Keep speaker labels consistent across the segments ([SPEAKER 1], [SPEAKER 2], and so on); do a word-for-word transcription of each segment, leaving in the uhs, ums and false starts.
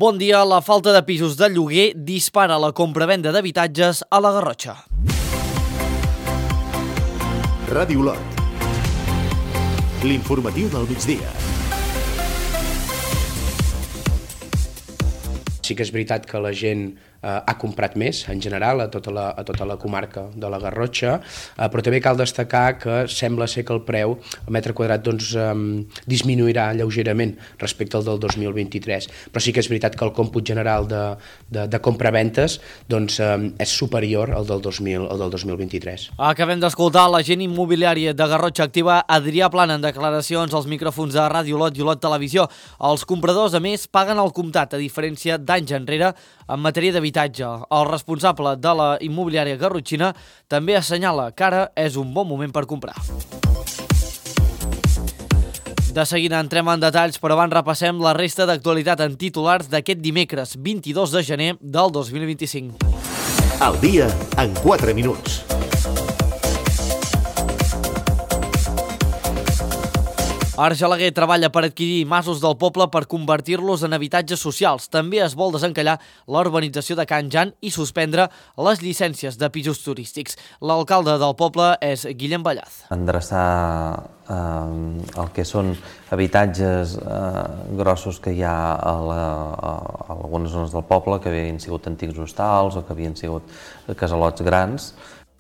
[SPEAKER 1] Bon dia, la falta de pisos de lloguer dispara la compra-venda d'habitatges a la Garrotxa.
[SPEAKER 2] Ràdio Lot. L'informatiu del migdia.
[SPEAKER 3] Sí que és veritat que la gent eh, ha comprat més, en general, a tota la, a tota la comarca de la Garrotxa, eh, però també cal destacar que sembla ser que el preu al metre quadrat doncs, eh, disminuirà lleugerament respecte al del dos mil vint-i-tres, però sí que és veritat que el còmput general de, de, de compra-ventes doncs, eh, és superior al del dos mil, al del dos mil vint-i-tres.
[SPEAKER 1] Acabem d'escoltar l'agent immobiliari de Garrotxa Activa, Adrià Plana, en declaracions als micròfons de Ràdio Lot i Olot Televisió. Els compradors, a més, paguen el comptat, a diferència d'anys enrere en matèria d'habitatge. El responsable de la immobiliària garrotxina també assenyala que ara és un bon moment per comprar. De seguida entrem en detalls, però abans repassem la resta d'actualitat en titulars d'aquest dimecres, vint-i-dos de gener del dos mil vint-i-cinc.
[SPEAKER 2] Al dia en quatre minuts.
[SPEAKER 1] Argelaguer treballa per adquirir masos del poble per convertir-los en habitatges socials. També es vol desencallar la urbanització de Can Jan i suspendre les llicències de pisos turístics. L'alcalde del poble és Guillem Ballaz.
[SPEAKER 4] Endreçar eh, el que són habitatges eh, grossos que hi ha a, la, a algunes zones del poble, que havien sigut antics hostals o que havien sigut casalots grans.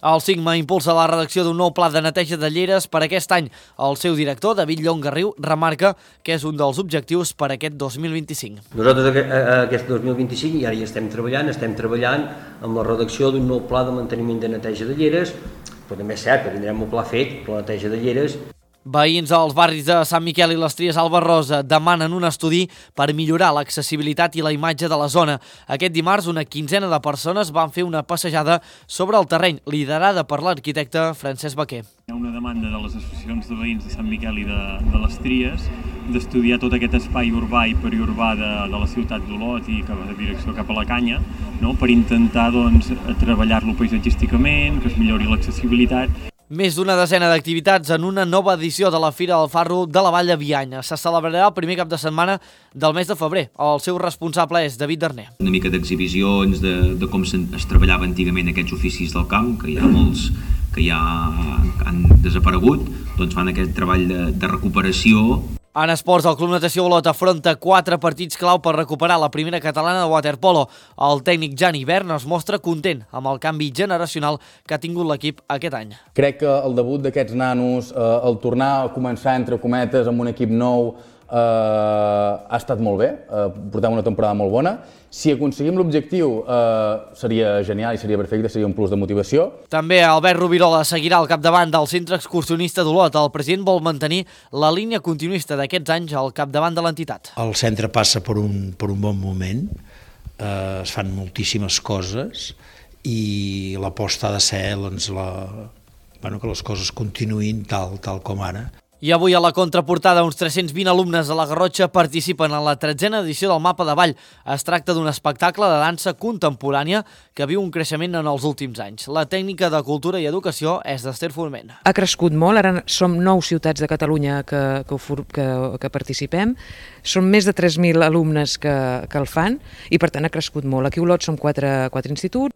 [SPEAKER 1] El Sigma impulsa la redacció d'un nou pla de neteja de lleres per aquest any. El seu director, David Llongarriu, remarca que és un dels objectius per aquest dos mil vint-i-cinc.
[SPEAKER 5] Nosaltres aquest dos mil vint-i-cinc i ara hi estem treballant, estem treballant amb la redacció d'un nou pla de manteniment de neteja de lleres, però també és cert que tindrem un pla fet per la neteja de lleres.
[SPEAKER 1] Veïns als barris de Sant Miquel i les Tries Alba Rosa demanen un estudi per millorar l'accessibilitat i la imatge de la zona. Aquest dimarts, una quinzena de persones van fer una passejada sobre el terreny, liderada per l'arquitecte Francesc Baquer.
[SPEAKER 6] Hi ha una demanda de les associacions de veïns de Sant Miquel i de, de les Tries d'estudiar tot aquest espai urbà i periurbà de, de la ciutat d'Olot i cap a direcció cap a la Canya, no? Per intentar doncs, treballar-lo paisatgísticament, que es millori l'accessibilitat.
[SPEAKER 1] Més d'una desena d'activitats en una nova edició de la Fira del Farro de la Vall de Bianya. Se celebrarà el primer cap de setmana del mes de febrer. El seu responsable és David Darner.
[SPEAKER 7] Una mica d'exhibicions de, de com es treballava antigament aquests oficis del camp, que hi ha molts que ja han desaparegut, doncs fan aquest treball de, de recuperació.
[SPEAKER 1] En esports, el Club Natació Olot afronta quatre partits clau per recuperar la primera catalana de waterpolo. El tècnic Jan Hivern es mostra content amb el canvi generacional que ha tingut l'equip aquest any.
[SPEAKER 8] Crec que el debut d'aquests nanos, eh, el tornar a començar entre cometes amb un equip nou, eh, ha estat molt bé, eh, portem una temporada molt bona. Si aconseguim l'objectiu eh, seria genial i seria perfecte, seria un plus de motivació.
[SPEAKER 1] També Albert Rubirola seguirà al capdavant del centre excursionista d'Olot. El president vol mantenir la línia continuista d'aquests anys al capdavant de l'entitat.
[SPEAKER 9] El centre passa per un, per un bon moment, eh, es fan moltíssimes coses i l'aposta ha de ser doncs, la, bueno, que les coses continuïn tal, tal com ara.
[SPEAKER 1] I avui a la contraportada uns tres-cents vint alumnes de la Garrotxa participen en la tretzena edició del Mapa de Ball. Es tracta d'un espectacle de dansa contemporània que viu un creixement en els últims anys. La tècnica de Cultura i Educació és d'Ester Forment.
[SPEAKER 10] Ha crescut molt, ara som nou ciutats de Catalunya que, que, que, que participem. Són més de tres mil alumnes que, que el fan i per tant ha crescut molt. Aquí a Olot som quatre, quatre instituts.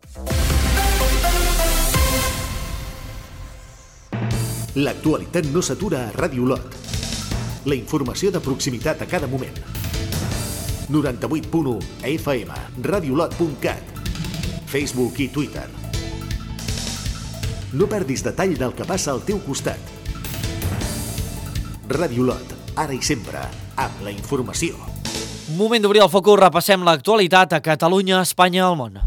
[SPEAKER 2] L'actualitat no s'atura a Ràdio Olot. La informació de proximitat a cada moment. noranta-vuit punt u F M, radiolot punt cat, Facebook i Twitter. No perdis detall del que passa al teu costat. Ràdio Olot, ara i sempre, amb la informació.
[SPEAKER 1] Moment d'obrir el focus, repassem l'actualitat a Catalunya, Espanya i el món.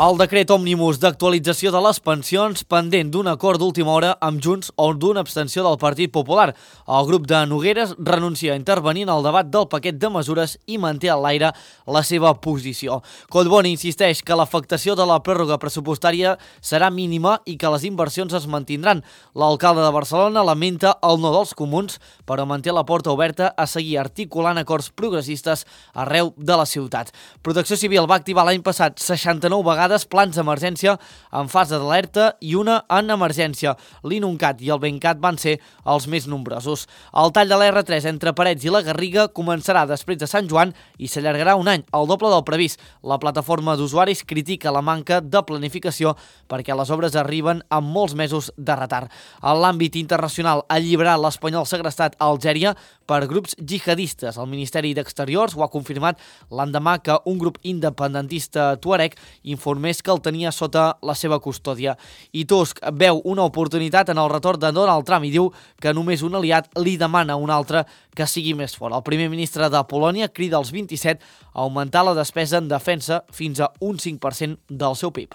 [SPEAKER 1] El decret òmnibus d'actualització de les pensions pendent d'un acord d'última hora amb Junts o d'una abstenció del Partit Popular. El grup de Nogueres renuncia a intervenir en el debat del paquet de mesures i manté a l'aire la seva posició. Collboni insisteix que l'afectació de la pròrroga pressupostària serà mínima i que les inversions es mantindran. L'alcalde de Barcelona lamenta el no dels comuns, però manté la porta oberta a seguir articulant acords progressistes arreu de la ciutat. Protecció Civil va activar l'any passat seixanta-nou vegades activades plans d'emergència en fase d'alerta i una en emergència. L'Inuncat i el Bencat van ser els més nombrosos. El tall de la erre tres entre Parets i la Garriga començarà després de Sant Joan i s'allargarà un any, el doble del previst. La plataforma d'usuaris critica la manca de planificació perquè les obres arriben amb molts mesos de retard. En l'àmbit internacional, alliberar l'espanyol segrestat a Algèria per grups jihadistes. El Ministeri d'Exteriors ho ha confirmat l'endemà que un grup independentista tuareg informés que el tenia sota la seva custòdia. I Tusk veu una oportunitat en el retorn de Donald Trump i diu que només un aliat li demana a un altre que sigui més fort. El primer ministre de Polònia crida als vint-i-set a augmentar la despesa en defensa fins a un cinc per cent del seu P I B.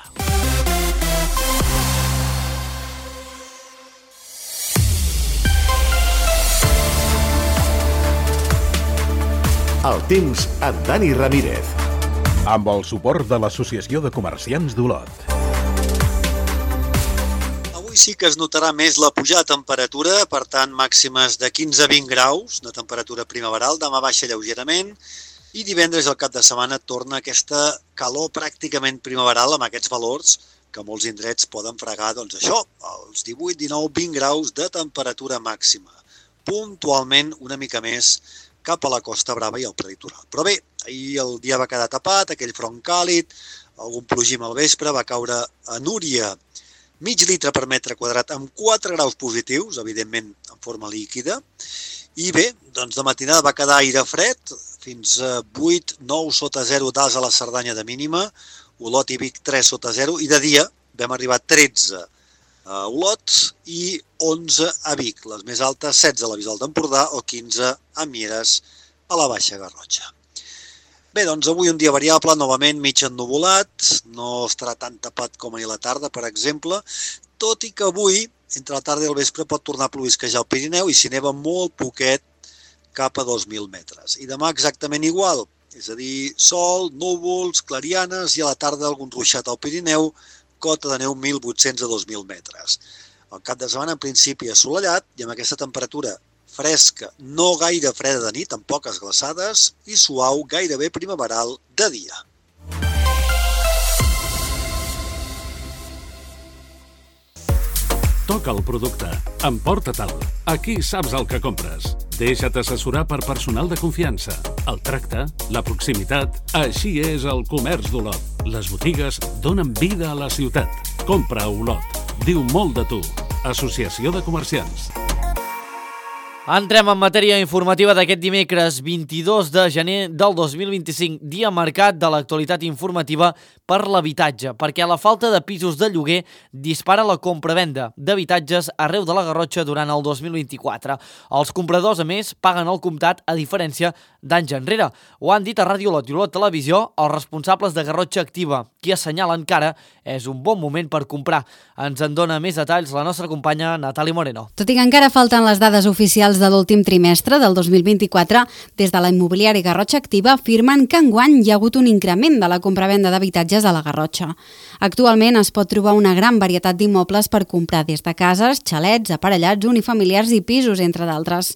[SPEAKER 2] El temps amb Dani Ramírez.
[SPEAKER 11] Amb el suport de l'Associació de Comerciants d'Olot.
[SPEAKER 12] Avui sí que es notarà més la pujada de temperatura, per tant màximes de quinze a vint graus de temperatura primaveral, demà baixa lleugerament i divendres al cap de setmana torna aquesta calor pràcticament primaveral amb aquests valors que molts indrets poden fregar, doncs això, els divuit, dinou, vint graus de temperatura màxima. Puntualment una mica més cap a la Costa Brava i al prelitoral. Però bé, ahir el dia va quedar tapat, aquell front càlid, algun plogim al vespre, va caure a Núria mig litre per metre quadrat amb quatre graus positius, evidentment en forma líquida, i bé, doncs de matinada va quedar aire fred, fins a vuit, nou sota zero d'As a la Cerdanya de mínima, Olot i Vic tres sota zero, i de dia vam arribar a tretze a Olot i onze a Vic, les més altes setze a la Bisbal d'Empordà o quinze a Mieres a la Baixa Garrotxa. Bé, doncs avui un dia variable, novament mig ennuvolat, no estarà tan tapat com ahir a la tarda, per exemple, tot i que avui, entre la tarda i el vespre, pot tornar a plovisquejar el Pirineu i s'hi neva molt poquet cap a dos mil metres. I demà exactament igual, és a dir, sol, núvols, clarianes i a la tarda algun ruixat al Pirineu, cota de neu mil vuit-cents a dos mil metres. El cap de setmana en principi assolellat i amb aquesta temperatura fresca, no gaire freda de nit, amb poques glaçades, i suau, gairebé primaveral de dia.
[SPEAKER 13] Toca el producte, emporta-te'l. Aquí saps el que compres. Deixa't assessorar per personal de confiança. El tracte, la proximitat, així és el comerç d'Olot. Les botigues donen vida a la ciutat. Compra a Olot. Diu molt de tu. Associació de Comerciants.
[SPEAKER 1] Entrem en matèria informativa d'aquest dimecres vint-i-dos de gener del dos mil vint-i-cinc, dia marcat de l'actualitat informativa per l'habitatge, perquè la falta de pisos de lloguer dispara la compra-venda d'habitatges arreu de la Garrotxa durant el dos mil vint-i-quatre. Els compradors, a més, paguen el comptat a diferència d'anys enrere. Ho han dit a Ràdio Olot i Olot Televisió els responsables de Garrotxa Activa, qui assenyalen que ara és un bon moment per comprar. Ens en dona més detalls la nostra companya Natàlia Moreno.
[SPEAKER 14] Tot i que encara falten les dades oficials de l'últim trimestre del dos mil vint-i-quatre, des de la immobiliària Garrotxa Activa afirmen que enguany hi ha hagut un increment de la compravenda d'habitatges a la Garrotxa. Actualment es pot trobar una gran varietat d'immobles per comprar des de cases, xalets, aparellats, unifamiliars i pisos, entre d'altres.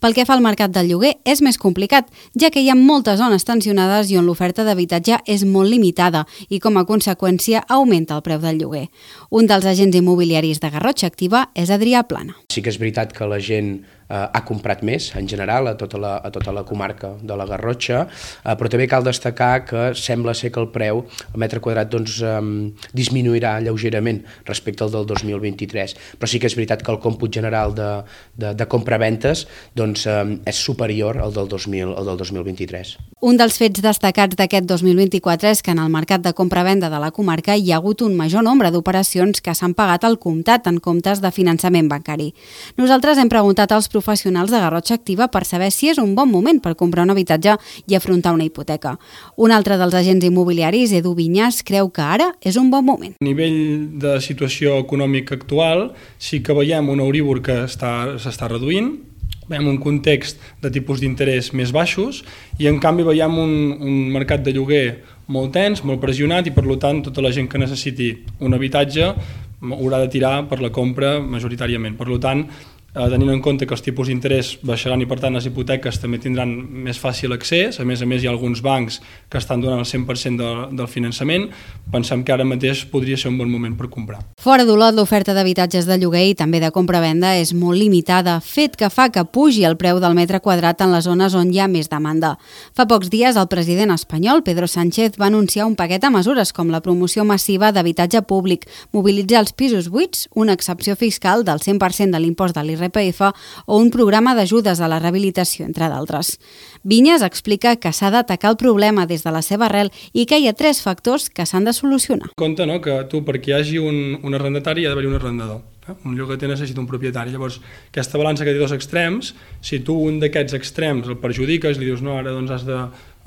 [SPEAKER 14] Pel que fa al mercat del lloguer, és més complicat, ja que hi ha moltes zones tensionades i on l'oferta d'habitatge és molt limitada i, com a conseqüència, augmenta el preu del lloguer. Un dels agents immobiliaris de Garrotxa Activa és Adrià Plana.
[SPEAKER 3] Sí que és veritat que la gent eh, ha comprat més, en general, a tota la, a tota la comarca de la Garrotxa, eh, però també cal destacar que sembla ser que el preu al metre quadrat doncs, eh, disminuirà lleugerament respecte al del dos mil vint-i-tres, però sí que és veritat que el còmput general de, de, de compra-ventes doncs, eh, és superior al del dos mil, al del dos mil vint-i-tres.
[SPEAKER 14] Un dels fets destacats d'aquest dos mil vint-i-quatre és que en el mercat de compra-venda de la comarca hi ha hagut un major nombre d'operacions que s'han pagat al comptat en comptes de finançament bancari. Nosaltres hem preguntat als professionals de Garrotxa Activa per saber si és un bon moment per comprar un habitatge i afrontar una hipoteca. Un altre dels agents immobiliaris, Edu Vinyas, creu que ara és un bon moment.
[SPEAKER 15] A nivell de situació econòmica actual, sí que veiem un Euribor que està, s'està reduint, veiem un context de tipus d'interès més baixos i en canvi veiem un, un mercat de lloguer molt tens, molt pressionat i per tant tota la gent que necessiti un habitatge haurà de tirar per la compra majoritàriament. Per tant, tenint en compte que els tipus d'interès baixaran i per tant les hipoteques també tindran més fàcil accés. A més a més hi ha alguns bancs que estan donant el cent per cent de, del finançament. Pensem que ara mateix podria ser un bon moment per comprar.
[SPEAKER 14] Fora d'Olot, l'oferta d'habitatges de lloguer i també de compra-venda és molt limitada, fet que fa que pugi el preu del metre quadrat en les zones on hi ha més demanda. Fa pocs dies el president espanyol, Pedro Sánchez, va anunciar un paquet de mesures com la promoció massiva d'habitatge públic, mobilitzar els pisos buits, una excepció fiscal del cent per cent de l'impost de l'I R P F o un programa d'ajudes a la rehabilitació, entre d'altres. Vinyes explica que s'ha d'atacar el problema des de la seva arrel i que hi ha tres factors que s'han de solucionar.
[SPEAKER 15] Compte, no?, que tu, perquè hi hagi un, un arrendatari, hi ha d'haver un arrendador. Eh? Un llogater necessita un propietari. Llavors, aquesta balança que té dos extrems, si tu un d'aquests extrems el perjudiques, li dius no, ara doncs has de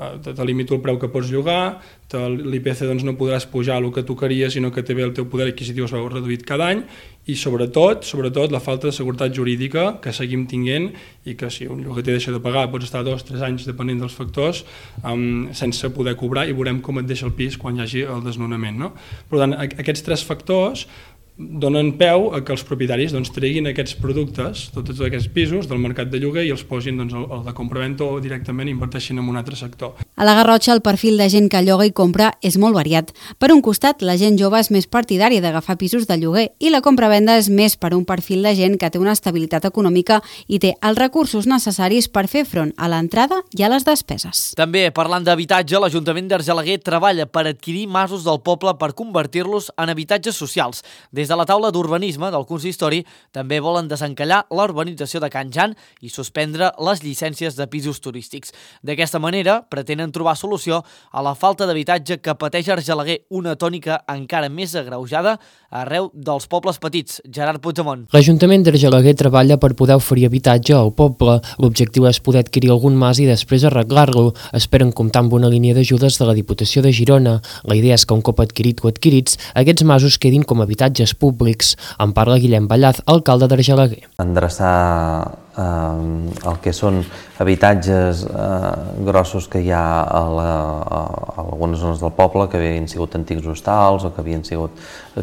[SPEAKER 15] te limito el preu que pots llogar, l'I P C doncs no podràs pujar el que tu queries, sinó que també el teu poder adquisitiu es veu reduït cada any, i sobretot, sobretot la falta de seguretat jurídica que seguim tinguent i que si un llogater deixa de pagar pots estar dos o tres anys depenent dels factors um, sense poder cobrar i veurem com et deixa el pis quan hi hagi el desnonament. No? Per tant, aquests tres factors donen peu a que els propietaris doncs, treguin aquests productes, tots aquests pisos del mercat de lloguer i els posin doncs, al de compra-venda o directament inverteixin en un altre sector.
[SPEAKER 14] A la Garrotxa el perfil de gent que lloga i compra és molt variat. Per un costat, la gent jove és més partidària d'agafar pisos de lloguer i la compra-venda és més per un perfil de gent que té una estabilitat econòmica i té els recursos necessaris per fer front a l'entrada i a les despeses.
[SPEAKER 1] També, parlant d'habitatge, l'Ajuntament d'Argelaguer treballa per adquirir masos del poble per convertir-los en habitatges socials. Des de la taula d'urbanisme del consistori també volen desencallar la urbanització de Can Jan i suspendre les llicències de pisos turístics. D'aquesta manera, pretenen trobar solució a la falta d'habitatge que pateix Argelaguer, una tònica encara més agreujada arreu dels pobles petits. Gerard Puigdemont.
[SPEAKER 16] L'Ajuntament d'Argelaguer treballa per poder oferir habitatge al poble. L'objectiu és poder adquirir algun mas i després arreglar-lo. Esperen comptar amb una línia d'ajudes de la Diputació de Girona. La idea és que un cop adquirit o adquirits, aquests masos quedin com habitatges públics. En parla Guillem Ballaz, alcalde d'Argelaguer.
[SPEAKER 4] Endreçar eh, el que són habitatges eh, grossos que hi ha a, la, a algunes zones del poble, que havien sigut antics hostals o que havien sigut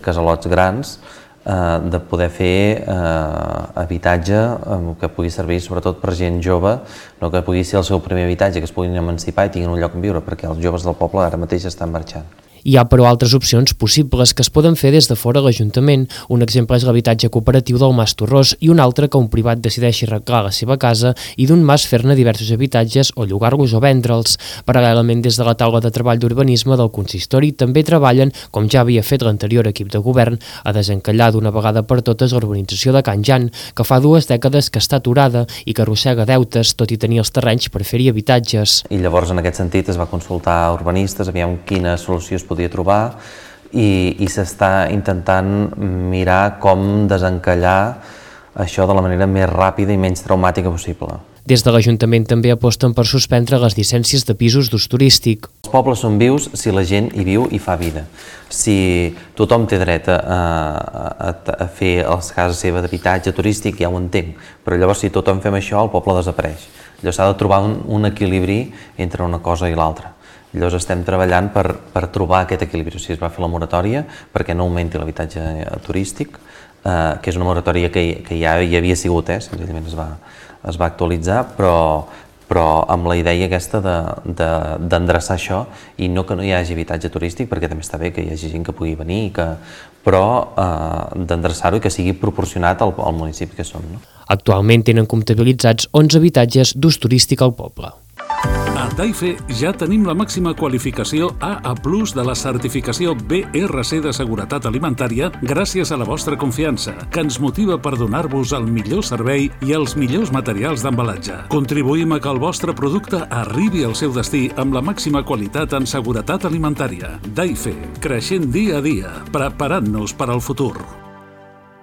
[SPEAKER 4] casalots grans, eh, de poder fer eh, habitatge eh, que pugui servir sobretot per gent jove, no que pugui ser el seu primer habitatge, que es puguin emancipar i tinguin un lloc on viure, perquè els joves del poble ara mateix estan marxant.
[SPEAKER 16] Hi ha, però, altres opcions possibles que es poden fer des de fora l'Ajuntament. Un exemple és l'habitatge cooperatiu del Mas Torrós i un altre que un privat decideixi arreglar la seva casa i d'un mas fer-ne diversos habitatges o llogar-los o vendre'ls. Paral·lelament, des de la taula de treball d'urbanisme del consistori també treballen, com ja havia fet l'anterior equip de govern, a desencallar d'una vegada per totes l'urbanització de Can Jan, que fa dues dècades que està aturada i que arrossega deutes, tot i tenir els terrenys per fer-hi habitatges.
[SPEAKER 4] I llavors, en aquest sentit, es va consultar urbanistes, aviam quina solució es podia trobar i, i s'està intentant mirar com desencallar això de la manera més ràpida i menys traumàtica possible.
[SPEAKER 16] Des de l'Ajuntament també aposten per suspendre les llicències de pisos d'ús turístic.
[SPEAKER 4] Els pobles són vius si la gent hi viu i fa vida. Si tothom té dret a, a, a fer les cases seva d'habitatge turístic, ja ho entenc, però llavors si tothom fem això, el poble desapareix. Llavors s'ha de trobar un, un equilibri entre una cosa i l'altra. Llavors estem treballant per, per trobar aquest equilibri. O sigui, es va fer la moratòria perquè no augmenti l'habitatge turístic, eh, que és una moratòria que, que ja hi havia sigut, eh, senzillament es va, es va actualitzar, però, però amb la idea aquesta d'endreçar de, de, això i no que no hi hagi habitatge turístic, perquè també està bé que hi hagi gent que pugui venir, que, però eh, d'endreçar-ho i que sigui proporcionat al, al municipi que som. No?
[SPEAKER 16] Actualment tenen comptabilitzats onze habitatges d'ús turístic al poble.
[SPEAKER 13] A Taife ja tenim la màxima qualificació A A plus de la certificació B R C de seguretat alimentària gràcies a la vostra confiança, que ens motiva per donar-vos el millor servei i els millors materials d'embalatge. Contribuïm a que el vostre producte arribi al seu destí amb la màxima qualitat en seguretat alimentària. Taife, creixent dia a dia, preparant-nos per al futur.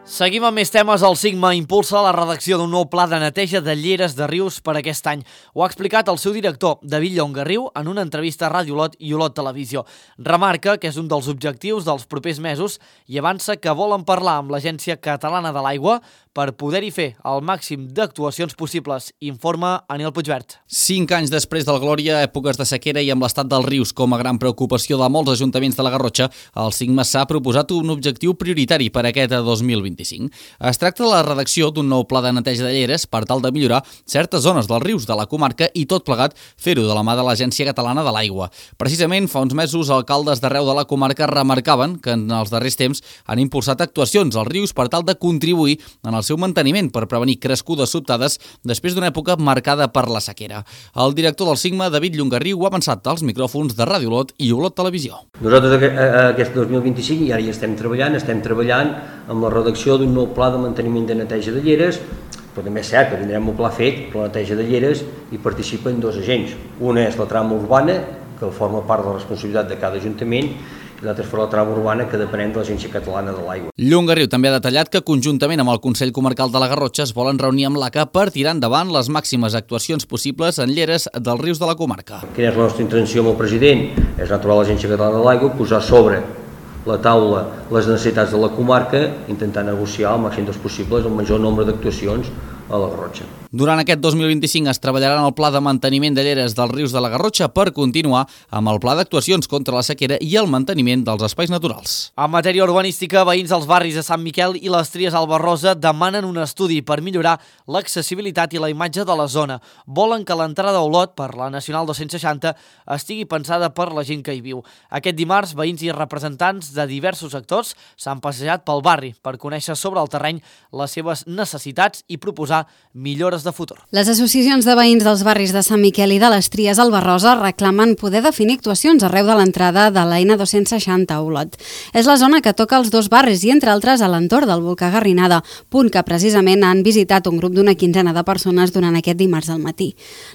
[SPEAKER 1] Seguim amb més temes. El Sigma impulsa la redacció d'un nou pla de neteja de lleres de rius per aquest any. Ho ha explicat el seu director, David Llongarriu, en una entrevista a Ràdio Olot i Olot Televisió. Remarca que és un dels objectius dels propers mesos i avança que volen parlar amb l'Agència Catalana de l'Aigua per poder-hi fer el màxim d'actuacions possibles, informa Anil Puigvert.
[SPEAKER 17] Cinc anys després del Glòria, èpoques de sequera i amb l'estat dels rius com a gran preocupació de molts ajuntaments de la Garrotxa, el Sigma s'ha proposat un objectiu prioritari per aquest dos mil vint. vint-i-cinc. Es tracta de la redacció d'un nou pla de neteja de lleres per tal de millorar certes zones dels rius de la comarca i tot plegat fer-ho de la mà de l'Agència Catalana de l'Aigua. Precisament fa uns mesos, alcaldes d'arreu de la comarca remarcaven que en els darrers temps han impulsat actuacions als rius per tal de contribuir en el seu manteniment per prevenir crescudes sobtades després d'una època marcada per la sequera. El director del Sigma, David Llongarriu, ha avançat als micròfons de Ràdio Olot i Olot Televisió.
[SPEAKER 5] Nosaltres aquest dos mil vint-i-cinc i ara hi estem treballant, estem treballant amb la redacció d'un nou pla de manteniment de neteja de lleres, però també és cert que tindrem un pla fet per la neteja de lleres i participen dos agents. Una és la trama urbana, que forma part de la responsabilitat de cada ajuntament, i l'altra és per la trama urbana, que depenem de l'Agència Catalana de l'Aigua.
[SPEAKER 17] Llongarriu també ha detallat que conjuntament amb el Consell Comarcal de la Garrotxa es volen reunir amb l'A C A per tirar endavant les màximes actuacions possibles en lleres dels rius de la comarca.
[SPEAKER 5] Quina és la nostra intenció amb el president? És natural l'Agència Catalana de l'Aigua posar sobre la taula les necessitats de la comarca, intentar negociar al màxim dels possibles el major nombre d'actuacions a la Garrotxa.
[SPEAKER 17] Durant aquest dos mil vint-i-cinc es treballarà en el pla de manteniment de lleres dels rius de la Garrotxa per continuar amb el pla d'actuacions contra la sequera i el manteniment dels espais naturals.
[SPEAKER 1] En matèria urbanística, veïns dels barris de Sant Miquel i les Tries al Barrosa demanen un estudi per millorar l'accessibilitat i la imatge de la zona. Volen que l'entrada a Olot per la Nacional dos-cents seixanta estigui pensada per la gent que hi viu. Aquest dimarts, veïns i representants de diversos sectors s'han passejat pel barri per conèixer sobre el terreny les seves necessitats i proposar millores de futur.
[SPEAKER 14] Les associacions de veïns dels barris de Sant Miquel i de les Tries al Barrosa reclamen poder definir actuacions arreu de l'entrada de la N dos-cents seixanta a Olot. És la zona que toca els dos barris i, entre altres, a l'entorn del volcà Garrinada, punt que precisament han visitat un grup d'una quinzena de persones durant aquest dimarts al matí.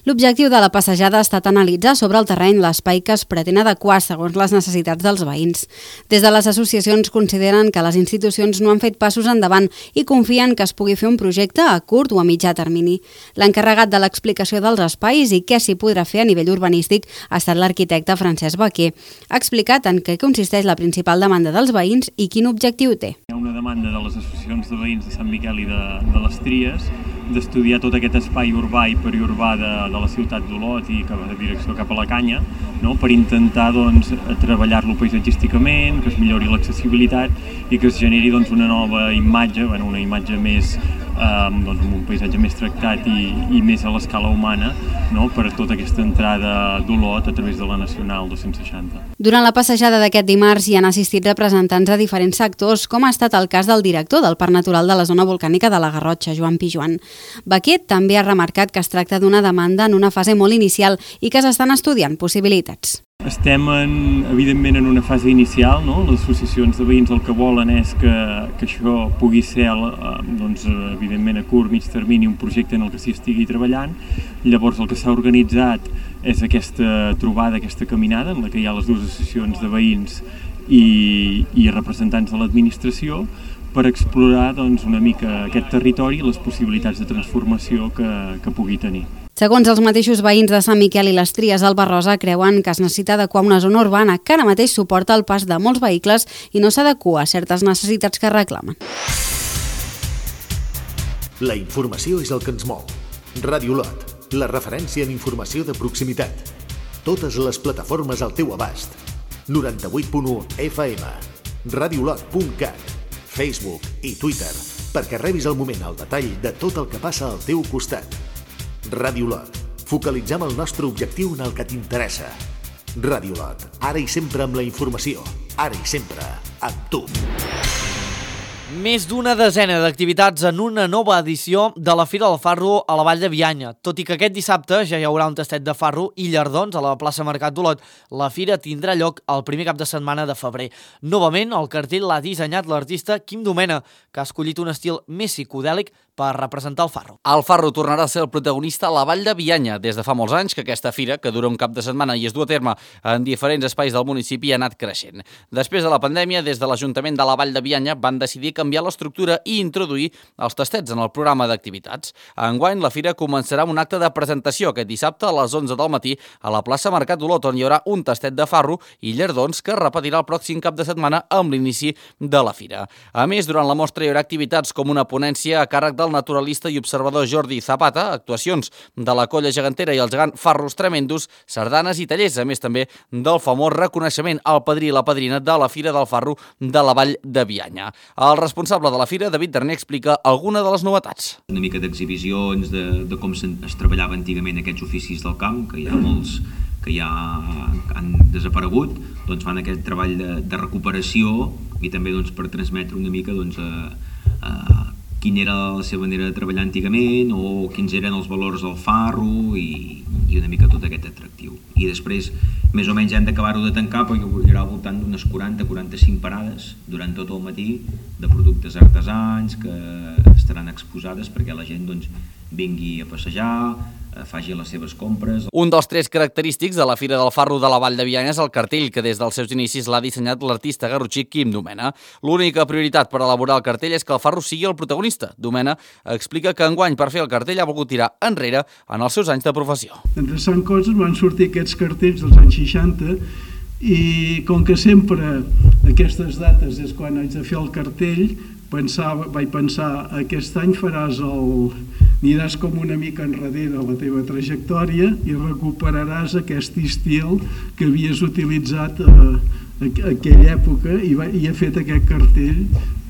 [SPEAKER 14] L'objectiu de la passejada ha estat analitzar sobre el terreny l'espai que es pretén adequar segons les necessitats dels veïns. Des de les associacions consideren que les institucions no han fet passos endavant i confien que es pugui fer un projecte a curt o a mitjà termini. L'encarregat de l'explicació dels espais i què s'hi podrà fer a nivell urbanístic ha estat l'arquitecte Francesc Baquer. Ha explicat en què consisteix la principal demanda dels veïns i quin objectiu té.
[SPEAKER 6] Hi ha una demanda de les associacions de veïns de Sant Miquel i de, de les Tries d'estudiar tot aquest espai urbà i periurbà de, de la ciutat d'Olot i cap a direcció cap a la Canya, no? Per intentar doncs, treballar-lo paisatgísticament, que es millori l'accessibilitat i que es generi doncs, una nova imatge, bueno, una imatge més Um, doncs amb un paisatge més tractat i, i més a l'escala humana, no? Per tota aquesta entrada d'Olot a través de la Nacional dos-cents seixanta.
[SPEAKER 14] Durant la passejada d'aquest dimarts hi han assistit representants de diferents sectors, com ha estat el cas del director del Parc Natural de la Zona Volcànica de la Garrotxa, Joan Pijuan. Baquer també ha remarcat que es tracta d'una demanda en una fase molt inicial i que s'estan estudiant possibilitats.
[SPEAKER 6] Estem, en, evidentment, en una fase inicial, no? Les associacions de veïns el que volen és que, que això pugui ser, doncs, evidentment, a curt, mig termini, un projecte en el que s'hi estigui treballant. Llavors, el que s'ha organitzat és aquesta trobada, aquesta caminada, en la que hi ha les dues associacions de veïns i, i representants de l'administració, per explorar doncs, una mica aquest territori i les possibilitats de transformació que, que pugui tenir.
[SPEAKER 14] Segons els mateixos veïns de Sant Miquel i les Tries al Barrosa, creuen que es necessita adequar una zona urbana que ara mateix suporta el pas de molts vehicles i no s'adequa a certes necessitats que reclamen.
[SPEAKER 2] La informació és el que ens mou. Ràdio Olot, la referència en informació de proximitat. Totes les plataformes al teu abast. noranta-vuit punt u F M, radiolot punt cat, Facebook i Twitter, perquè rebis al moment el detall de tot el que passa al teu costat. Ràdio Olot. Focalitzem el nostre objectiu en el que t'interessa. Ràdio Olot. Ara i sempre amb la informació. Ara i sempre amb tu.
[SPEAKER 1] Més d'una desena d'activitats en una nova edició de la Fira del Farro a la Vall de Bianya. Tot i que aquest dissabte ja hi haurà un tastet de farro i llardons a la plaça Mercat d'Olot, la fira tindrà lloc el primer cap de setmana de febrer. Novament, el cartell l'ha dissenyat l'artista Quim Domena, que ha escollit un estil més psicodèlic per representar el farro.
[SPEAKER 17] El farro tornarà a ser el protagonista a la Vall de Bianya. Des de fa molts anys que aquesta fira, que dura un cap de setmana i es du a terme en diferents espais del municipi, ha anat creixent. Després de la pandèmia, des de l'Ajuntament de la Vall de Bianya van decidir canviar l'estructura i introduir els tastets en el programa d'activitats. Enguany, la fira començarà amb un acte de presentació aquest dissabte a les onze del matí a la plaça Mercat d'Olot, on hi haurà un tastet de farro i llardons que es repetirà el pròxim cap de setmana amb l'inici de la fira. A més, durant la mostra hi haurà activitats com una ponència a càrrec del naturalista i observador Jordi Zapata, actuacions de la Colla Gegantera i el gegant Farros Tremendos, sardanes i tallers, a més també del famós reconeixement al padrí i la padrina de la Fira del Farro de la Vall de Bianya. Els responsable de la fira, David Darner, explica alguna de les novetats.
[SPEAKER 7] Una mica d'exhibicions de, de com es treballava antigament aquests oficis del camp, que hi ha molts que ja han desaparegut, doncs fan aquest treball de, de recuperació i també doncs, per transmetre una mica doncs, a, a quina era la seva manera de treballar antigament o quins eren els valors del farro i, i una mica tot aquest atractiu. I després, més o menys, hem d'acabar-ho de tancar, perquè hi haurà al voltant d'unes quaranta a quaranta-cinc parades durant tot el matí de productes artesans que estaran exposades perquè la gent doncs, vingui a passejar, faci les seves compres.
[SPEAKER 17] Un dels trets característics de la Fira del Farro de la Vall de Bianya és el cartell, que des dels seus inicis l'ha dissenyat l'artista garrotxí Quim Domena. L'única prioritat per elaborar el cartell és que el farro sigui el protagonista. Domena explica que enguany per fer el cartell ha volgut tirar enrere en els seus anys de professió.
[SPEAKER 18] Endreçant coses van sortir aquests cartells dels anys seixanta i com que sempre aquestes dates és quan haig de fer el cartell, pensava, vaig pensar, aquest any faràs el... aniràs com una mica enrere a la teva trajectòria i recuperaràs aquest estil que havies utilitzat a, a, a aquella època i, va, i he fet aquest cartell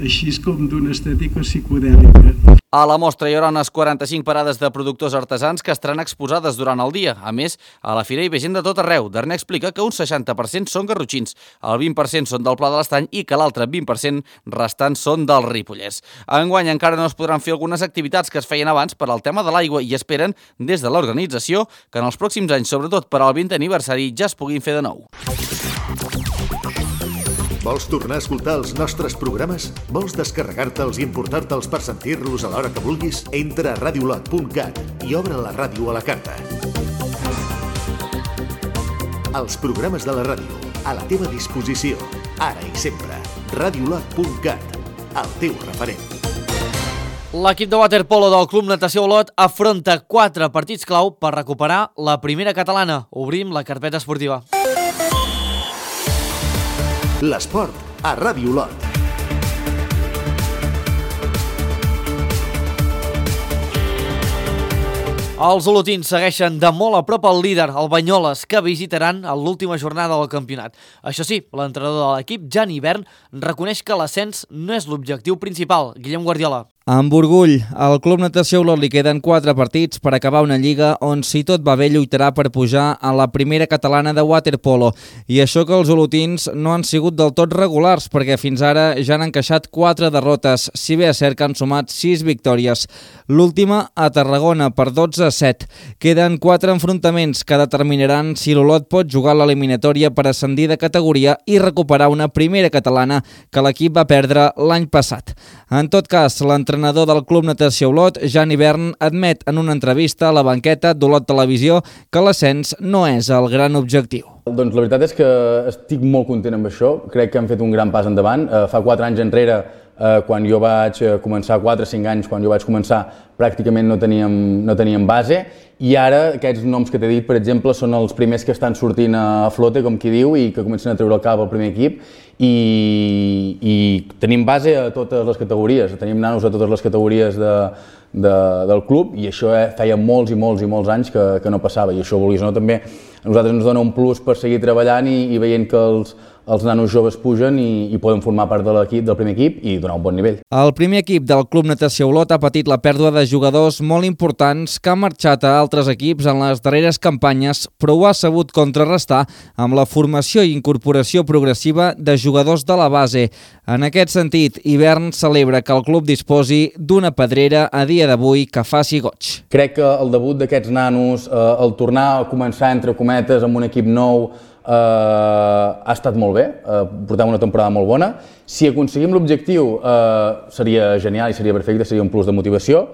[SPEAKER 18] així com d'una estètica psicodèlica.
[SPEAKER 17] A la mostra hi haurà unes quaranta-cinc parades de productors artesans que estaran exposades durant el dia. A més, a la fira hi ve gent de tot arreu. Darner explica que un seixanta per cent són garrotxins, el vint per cent són del Pla de l'Estany i que l'altre vint per cent restants són del Ripollès. Enguany encara no es podran fer algunes activitats que es feien abans per al tema de l'aigua i esperen, des de l'organització, que en els pròxims anys, sobretot per al vintè aniversari, ja es puguin fer de nou.
[SPEAKER 2] Vols tornar a escoltar els nostres programes? Vols descarregar-te'ls i emportar-te'ls per sentir-los a l'hora que vulguis? Entra a radiolot punt cat i obre la ràdio a la carta. Els programes de la ràdio, a la teva disposició, ara i sempre. radiolot punt cat, el teu referent.
[SPEAKER 1] L'equip de waterpolo del Club Natació Olot afronta quatre partits clau per recuperar la primera catalana. Obrim la carpeta esportiva.
[SPEAKER 2] L'esport a Ràdio Olot.
[SPEAKER 1] Els olotins segueixen de molt a prop el líder, el Banyoles, que visitaran a l'última jornada del campionat. Això sí, l'entrenador de l'equip, Jan Hivern, reconeix que l'ascens no és l'objectiu principal. Guillem Guardiola.
[SPEAKER 19] Amb orgull, al Club Natació Olot li queden quatre partits per acabar una lliga on, si tot va bé, lluitarà per pujar a la primera catalana de waterpolo. I això que els olotins no han sigut del tot regulars, perquè fins ara ja han encaixat quatre derrotes, si bé és cert que han sumat sis victòries. L'última a Tarragona per dotze a set. Queden quatre enfrontaments que determinaran si l'Olot pot jugar l'eliminatòria per ascendir de categoria i recuperar una primera catalana que l'equip va perdre l'any passat. En tot cas, l'entrenador del Club Natació Olot, Jan Hivern, admet en una entrevista a la banqueta d'Olot Televisió que l'ascens no és el gran objectiu.
[SPEAKER 8] Doncs la veritat és que estic molt content amb això. Crec que han fet un gran pas endavant. Fa quatre anys enrere, quan jo vaig començar, quatre o cinc anys, quan jo vaig començar, pràcticament no teníem, no teníem base, i ara aquests noms que t'he dit, per exemple, són els primers que estan sortint a flote, com qui diu, i que comencen a treure el cap al primer equip, i, i tenim base a totes les categories, tenim nanos a totes les categories de, de, del club, i això feia molts i molts i molts anys que, que no passava, i això, vulguis o no, també a nosaltres ens dona un plus per seguir treballant i, i veient que els els nanos joves pugen i, i poden formar part de l'equip, del primer equip i donar un bon nivell.
[SPEAKER 19] El primer equip del Club Natació Olot ha patit la pèrdua de jugadors molt importants que han marxat a altres equips en les darreres campanyes, però ho ha sabut contrarrestar amb la formació i incorporació progressiva de jugadors de la base. En aquest sentit, Hivern celebra que el club disposi d'una pedrera a dia d'avui que faci goig.
[SPEAKER 8] Crec que el debut d'aquests nanos, eh, el tornar a començar entre cometes amb un equip nou, Uh, ha estat molt bé, uh, portem una temporada molt bona. Si aconseguim l'objectiu uh, seria genial i seria perfecte, seria un plus de motivació,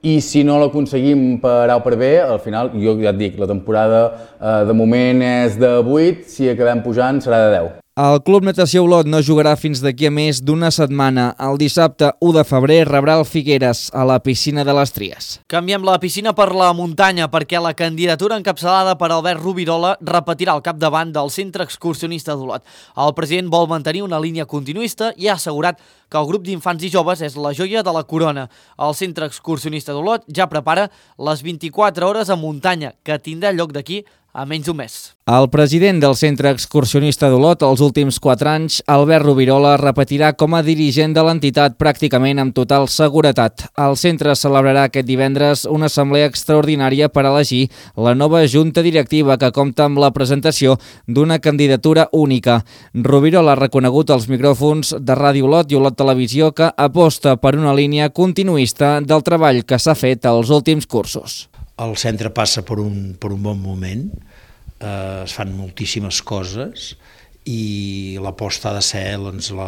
[SPEAKER 8] i si no l'aconseguim per A o per B, al final, jo ja et dic, la temporada uh, de moment és de vuit, si acabem pujant serà de deu.
[SPEAKER 19] El Club Natació Olot no jugarà fins d'aquí a més d'una setmana. El dissabte u de febrer rebrà el Figueres a la piscina de les Tries.
[SPEAKER 1] Canviem la piscina per la muntanya perquè la candidatura encapçalada per Albert Rubirola repetirà al capdavant del Centre Excursionista d'Olot. El president vol mantenir una línia continuista i ha assegurat que el grup d'infants i joves és la joia de la corona. El Centre Excursionista d'Olot ja prepara les vint-i-quatre hores a muntanya, que tindrà lloc d'aquí a menys d'un mes.
[SPEAKER 19] El president del Centre Excursionista d'Olot els últims quatre anys, Albert Rovirola, repetirà com a dirigent de l'entitat pràcticament amb total seguretat. El centre celebrarà aquest divendres una assemblea extraordinària per elegir la nova junta directiva que compta amb la presentació d'una candidatura única. Rovirola ha reconegut als micròfons de Ràdio Olot i Olot Televisió que aposta per una línia continuista del treball que s'ha fet als últims cursos.
[SPEAKER 9] El centre passa per un, per un bon moment, eh, es fan moltíssimes coses i l'aposta ha de ser doncs, la,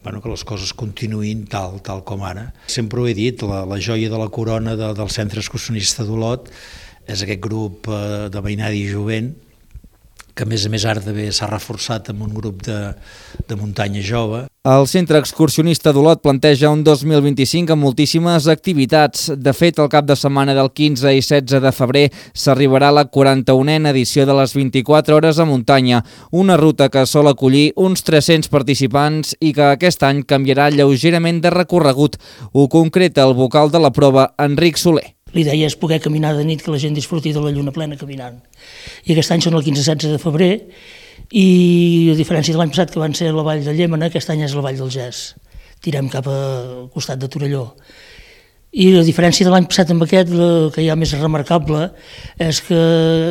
[SPEAKER 9] bueno, que les coses continuïn tal, tal com ara. Sempre ho he dit, la, la joia de la corona de, del Centre Excursionista d'Olot és aquest grup eh, de veïnada i jovent, que a més a més ara també s'ha reforçat amb un grup de, de muntanya jove.
[SPEAKER 19] El Centre Excursionista d'Olot planteja un dos mil vint-i-cinc amb moltíssimes activitats. De fet, el cap de setmana del quinze i setze de febrer s'arribarà a la quaranta-unena edició de les vint-i-quatre hores a muntanya, una ruta que sol acollir uns tres-cents participants i que aquest any canviarà lleugerament de recorregut. Ho concreta el vocal de la prova, Enric Soler.
[SPEAKER 20] L'idea és poder caminar de nit, que la gent disfruti de la lluna plena caminant. I aquest any són el quinze i setze de febrer i a diferència de l'any passat que van ser a la vall de Llémena, aquest any és la vall del Gès. Tirem cap al costat de Torelló. I la diferència de l'any passat amb aquest, que hi ha més remarcable, és que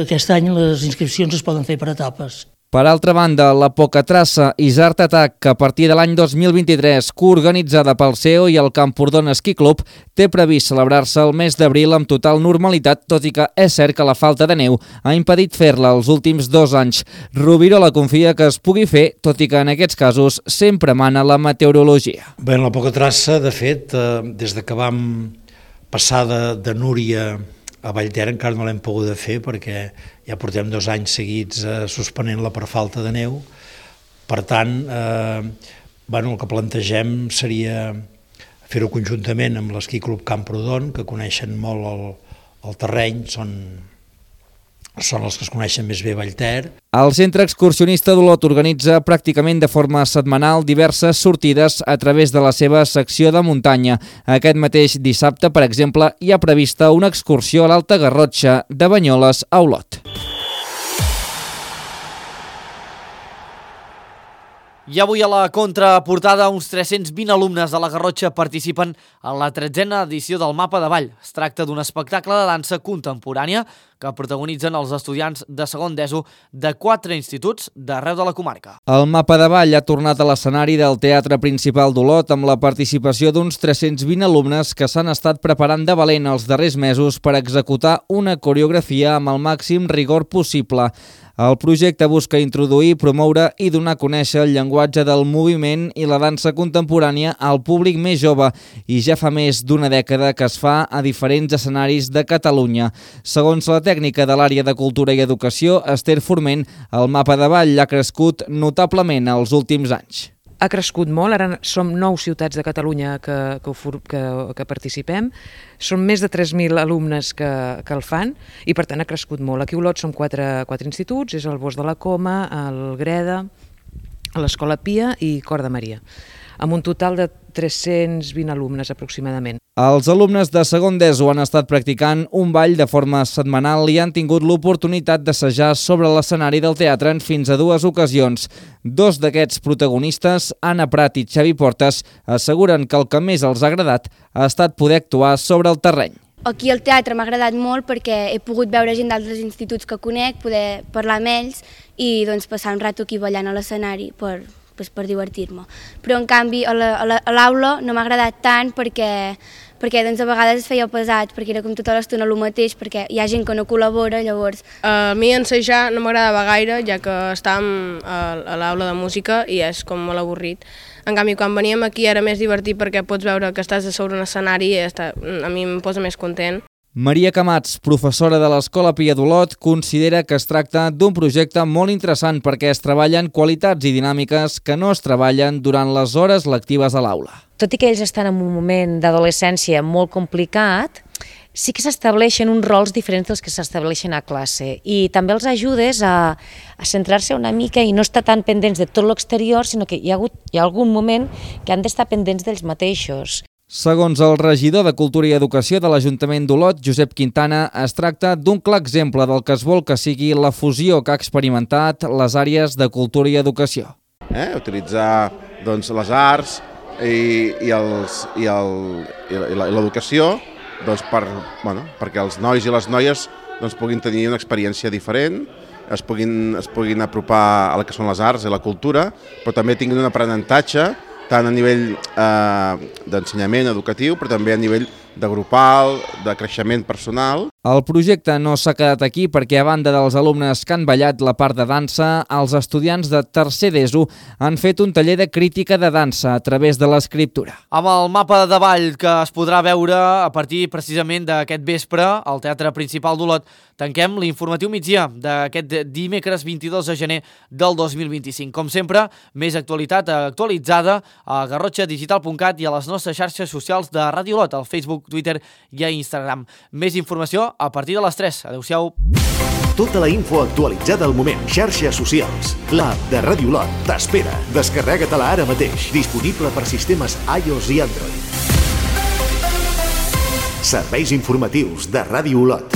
[SPEAKER 20] aquest any les inscripcions es poden fer per etapes.
[SPEAKER 19] Per altra banda, la Pocatraça Isart Attack, que a partir de l'any dos mil vint-i-tres, coorganitzada pel C E O i el Camprodon Ski Club, té previst celebrar-se el mes d'abril amb total normalitat, tot i que és cert que la falta de neu ha impedit fer-la els últims dos anys. Rovirola confia que es pugui fer, tot i que en aquests casos sempre mana la meteorologia.
[SPEAKER 9] Bé, la Pocatraça, de fet, eh, des de que vam passar de, de Núria a Vallter encara no l'hem pogut fer perquè ja portem dos anys seguits eh, suspenent-la per falta de neu. Per tant, eh, bueno, el que plantegem seria fer-ho conjuntament amb l'Esquí Club Camprodon, que coneixen molt el, el terreny, són, són els que es coneixen més bé Vallter.
[SPEAKER 19] El Centre Excursionista d'Olot organitza pràcticament de forma setmanal diverses sortides a través de la seva secció de muntanya. Aquest mateix dissabte, per exemple, hi ha prevista una excursió a l'Alta Garrotxa de Banyoles a Olot.
[SPEAKER 1] I avui a la contraportada uns tres-cents vint alumnes de la Garrotxa participen en la tretzena edició del Mapa de Ball. Es tracta d'un espectacle de dansa contemporània que protagonitzen els estudiants de segon d'ESO de quatre instituts d'arreu de la comarca.
[SPEAKER 19] El Mapa de Ball ha tornat a l'escenari del Teatre Principal d'Olot amb la participació d'uns tres-cents vint alumnes que s'han estat preparant de valent els darrers mesos per executar una coreografia amb el màxim rigor possible. El projecte busca introduir, promoure i donar a conèixer el llenguatge del moviment i la dansa contemporània al públic més jove i ja fa més d'una dècada que es fa a diferents escenaris de Catalunya. Segons la tècnica de l'àrea de Cultura i Educació, Esther Forment, el Mapa de Ball ha crescut notablement els últims anys.
[SPEAKER 10] Ha crescut molt, ara som nou ciutats de Catalunya que, que, que, que participem, són més de tres mil alumnes que, que el fan i per tant ha crescut molt. Aquí a Olot som quatre, quatre instituts, és el Bosc de la Coma, el Greda, l'Escola Pia i Cor de Maria, amb un total de tres-cents vint alumnes aproximadament.
[SPEAKER 19] Els alumnes de segon d'ESO han estat practicant un ball de forma setmanal i han tingut l'oportunitat d'assajar sobre l'escenari del teatre en fins a dues ocasions. Dos d'aquests protagonistes, Anna Prat i Xavi Portes, asseguren que el que més els ha agradat ha estat poder actuar sobre el terreny.
[SPEAKER 21] Aquí al teatre m'ha agradat molt perquè he pogut veure gent d'altres instituts que conec, poder parlar amb ells i doncs, passar un rato aquí ballant a l'escenari per, pues, per divertir-me. Però en canvi a l'aula no m'ha agradat tant perquè, perquè doncs, a vegades es feia pesat, perquè era com tota l'estona el mateix, perquè hi ha gent que no col·labora, llavors...
[SPEAKER 22] A mi ensejar no m'agradava gaire, ja que estàvem a l'aula de música i és com molt avorrit. En canvi, quan veníem aquí era més divertit perquè pots veure que estàs a sobre un escenari i a mi em posa més content.
[SPEAKER 19] Maria Camats, professora de l'Escola Pia d'Olot, considera que es tracta d'un projecte molt interessant perquè es treballen qualitats i dinàmiques que no es treballen durant les hores lectives a l'aula.
[SPEAKER 23] Tot i que ells estan en un moment d'adolescència molt complicat, sí que s'estableixen uns rols diferents dels que s'estableixen a classe i també els ajudes a, a centrar-se una mica i no estar tan pendents de tot l'exterior, sinó que hi ha, hagut, hi ha algun moment que han d'estar pendents d'ells mateixos.
[SPEAKER 19] Segons el regidor de Cultura i Educació de l'Ajuntament d'Olot, Josep Quintana, es tracta d'un clar exemple del que es vol que sigui la fusió que ha experimentat les àrees de Cultura i Educació.
[SPEAKER 3] Eh? Utilitzar doncs, les arts i, i, els, i, el, i l'educació doncs, per, bueno, perquè els nois i les noies doncs, puguin tenir una experiència diferent, es puguin, es puguin apropar a la que són les arts i la cultura, però també tinguin un aprenentatge tant a nivell eh, d'ensenyament educatiu, però també a nivell de grupal, de creixement personal.
[SPEAKER 19] El projecte no s'ha quedat aquí perquè, a banda dels alumnes que han ballat la part de dansa, els estudiants de tercer d'ESO han fet un taller de crítica de dansa a través de l'escriptura.
[SPEAKER 1] Amb el mapa de ball que es podrà veure a partir precisament d'aquest vespre al Teatre Principal d'Olot, tanquem l'informatiu migdia d'aquest dimecres vint-i-dos de gener del dos mil vint-i-cinc. Com sempre, més actualitat actualitzada a garrotxa digital punt cat i a les nostres xarxes socials de Ràdio Olot, al Facebook, Twitter i a Instagram. Més informació a partir de les tres. Adéu-siau.
[SPEAKER 2] Tota la info actualitzada al moment. Xarxes socials. L'app de Ràdio Olot t'espera. Descarrega-te-la ara mateix. Disponible per sistemes iOS i Android. Serveis informatius de Ràdio Olot.